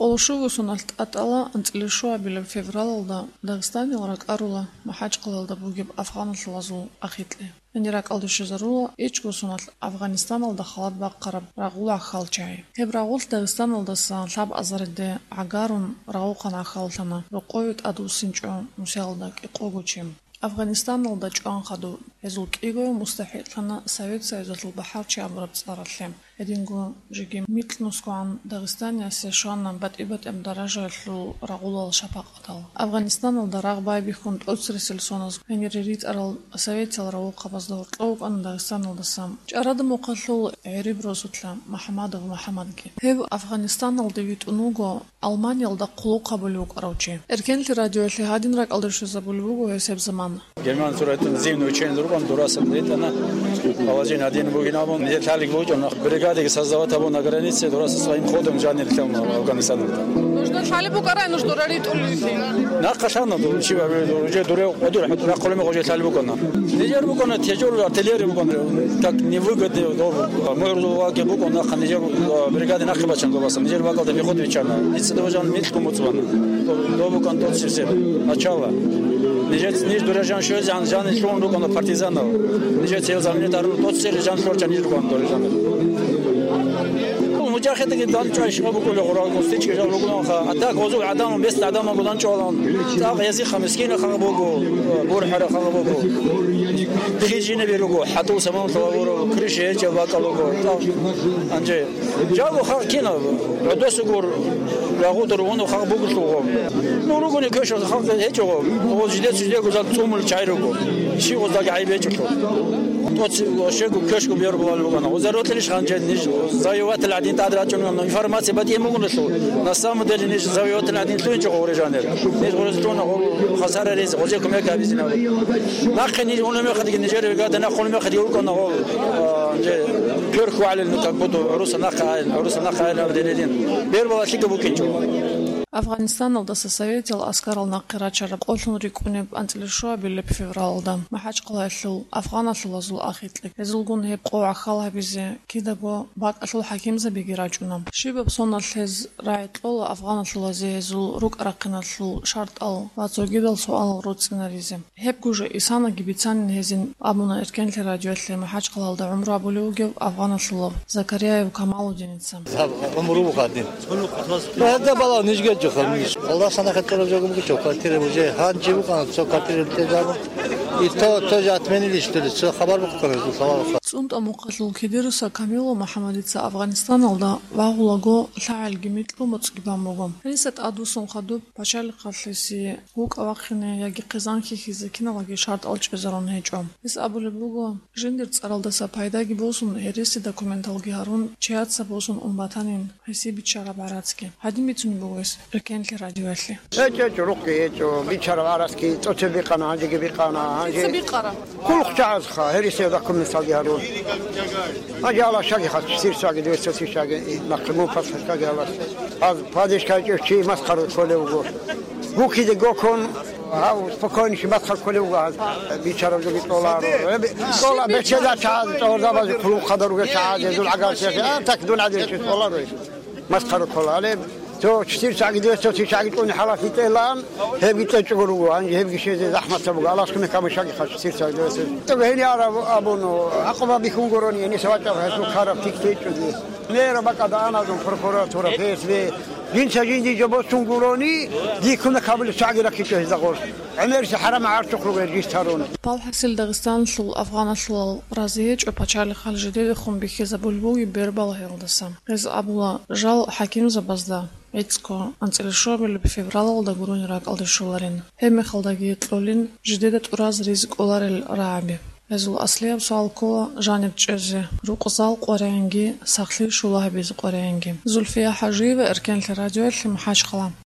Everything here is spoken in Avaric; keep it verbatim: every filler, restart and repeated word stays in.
Къолошуго соналъ тӀатӀала анцӀила щуабилеб февралалда Дагъистанил ракӀарула МахӀачкъалалда бугеб афгъаналъулазул ахикье. Гьенир ракӀалде щвезарула ичӀго соналъ Афгъанистаналда халат бахъараб рагъул гӀахьалчагӀи. Гьеб рагъулъ Дагъистаналдаса лъабазариде гӀагарун рагъухъан гӀахьаллъана рокъове тӀадвуссинчӀо нусиялда кӀикъого чи. Афгъанистаналда чӀван хадуб гьезул кӀиго мустахӀикълъана Совет Союзалъул бахӀарчи абураб цӀаралъе. Гьединго жеги микьнусгогӀан Дагъистаниясе щвана батӀи-батӀияб даражаялъул рагъулал шапакъатал. Афгъанистаналда рагъ байбихьун тӀоцересел соназ гьенире ритӀарал советиял рагъухъабазда гьоркьов вукӀана Дагъистаналдаса. ЧӀарада мухъалъул гӀериб росулъа МухӀаммадов МухӀаммадги. Гьев Афгъанистаналде витӀун вуго Алманиялда хъулухъ гьабулев вукӀарав чи. Эркенлъи радиоялъе гьадин ракӀалде щвезабулеб буго гьесеб замана. Герман сурайтун зивни учени рукӀун дураса ритӀана. Положение один бугин абун, нилъ лъалеб букӀана. Бригадаги создавать гьабун на границе, дураса своим ходом жанир лъална Афганистаналда. Нужда лъалеб букӀарай, нужда раритӀуллъи. Нахъа лъана ду, чи ва, уже дуре, одур, рахъулме уже лъалеб букӀана. Нижер букӀана, тяжёлая артиллерия букӀана, как невыгодный дорогу. Мугьрузул ваги букӀун нахъа нижер, а, бригаде нахъе бачан гобасан. Нижер бакӀалда пехота биччана. Дица довжан микьго муцӀ бана. Доб-, добукан тот сирсел. Начало. Нижец ниж дурежан шозе жан, жан лъун рукӀана партизанал. Нижец ел заминет арун тот сер жан лъорча ниж рукӀана дурежан. Мужахидги дан чӀвай шиба букӀули гъурал густички жал рукӀунаха. А так гъозул гӀадамал, бес гӀадамал гудан чӀвалан. Так язихъа мискина хагъ буго, бурхӀара хагъ буго. Хижине беруго, хӀатул саман лъугьа гуро, крыша гьечӀеб бакӀал руго. Так, анже. Жаго халкъ кинаб? ГӀодосугур рагъудур вуну халкъ бугулъулго. Ну, ругони квешал халкъ гьечӀого. Гъоз жидеци жидего зал цӀумул чай руго. Щи гъоздаги гӀайиб гьечӀолъо. ТӀоци ошего квешго бер бугал ругана. Гъоза ротилищ ханже ниж завоеватель гӀадин тӀад рачӀун информация батӀиен бугуналъул. На самом деле ниж завоеватель гӀадин лъугьинчӀого гъуре жанир. Ниж гъуре лъугьуна гъол хасара рез, гъозе кумек гьабизина. Нахъе ниж уна мехалъги нижер вегада, нахъ уна мехалъги уркӀана гъол, а, нже кверху гӀалил, ну, как будто гӀуруса нахъа гӀайил, гӀуруса нахъа гӀайил абдерилин. Бер бала лъикӀаб букӀинчӀо. Афгъанистаналдаса советиял аскарал нахъе рачараб къолъун рикӀкӀунеб анцӀила щуабилеб февралалда МахӀачкъалаялъул афгъаналъулазул ахикье. Гьезулгун гьеб къо гӀахьал гьабизе кидаго бакӀалъул хӀакимзабиги рачӀуна. Щибаб соналъ гьез рагӀи кьола афгъаналъулазе гьезул рукӀа-рахъиналъул шартӀал ва цогидал суалал роцӀцӀинаризе. Гьеб гужа исанаги бицанин гьезин абуна Эркенлъи радиоялъе МахӀачкъалалда гӀумру гьабулев вугев афгъаналъулав Закарияев Камалудиница. Гьаб гӀумру буго гьадин. Гьадаб бала нижгечӀо ханиш. Аллагьас анахъе тӀораб жо бугичӀо, квартира уже гьанжи букӀана, цо квартира тӀезабун. И то, то же отменили, что ли, цо хабар букӀана, жо хабар. ЦӀунтӀа мухъалъул Кидируса Камилу МухӀаммадица Афгъанистаналда вагъулаго лъагӀелги микьго моцӀги бан буго. Гьениса тӀадвуссун хадуб пачалихъалъеси вукӀа вахъине яги хъизан хьихьизе киналаги шартӀал чӀезарун гьечӀо. Гьес абулеб буго, жиндир цӀаралдаса пайдаги босун, гьереси документалги гьарун, чияца босун ун батанин гьесие биччараб гӀарацги. Гьадин бицунеб буго гьес Эркенлъи радиоялъе. ГьечӀо, гьечӀо, рукъги гьечӀо, биччараб гӀарацги тӀоцеб бикъана, гьанжеги бикъана, гьанже. Дица бикъара. Хъулухъ чагӀазха, гьересияб документалги гьарун. Гьанже алашаги хас, сирсаги, двести тысячаги, и нахъе мун пасхӀалъаги алас. Аз падишкай чӀев чи масхара кколев вуго. Гукиде гокон, гьав спокойнейший масхара кколев вуго, гьаз бичараб жоги тӀоларо. Эб-, тӀола бечеда чагӀаз, тӀогьорзабазе хъулухъадар ругел чагӀаз, гьезул гӀагар чагӀаз, а, так дун гӀадин чи тӀоларо. Масхара ккола. Гьале цо чисир чагӀги, дир цо чи чагӀги тӀуни хӀаласи тӀелан, гьебги тӀечӀого руго, гьанже гьебги щвезе захӀматаб буго. Алас кумек гьабун, шаги хъа чисир чагӀги, дир цо. ТӀого гьенияр аб-, абун, гӀакъуба бихьун гурони, гьениса вачӀаб гьесул ккараб тик течӀоги. Мера бакӀалда аназун прокуратура, Ф С Б, жинца жинди жо босун гурони, дихъуна кабулеб чагӀги раккичӀо гьезда гъорлъ. ГӀемерси хӀарам гӀарцухъ ругел жис тарун. Палхасил Дагъистанлъул афгъаналъулал разиечӀо пачалихъал жидедехун бихьизабулеб бугеб бербал гьелдаса. Гьез абула, жал хӀакимзабазда гӀицӀго анцӀила щуабилеб февралалда гурони ракӀалде щоларин. Гьеб мехалдаги кьолин, жидеда тӀураз ризкӀ кӀоларел рагӀаби. Гьезул аслияб суал ккола жаниб чӀезе, рукъзал къваригӀинги, сахлъи щула гьабизе къваригӀинги. Зульфия ХӀажиева, Эркенлъи радиоялъе, МахӀачкъала.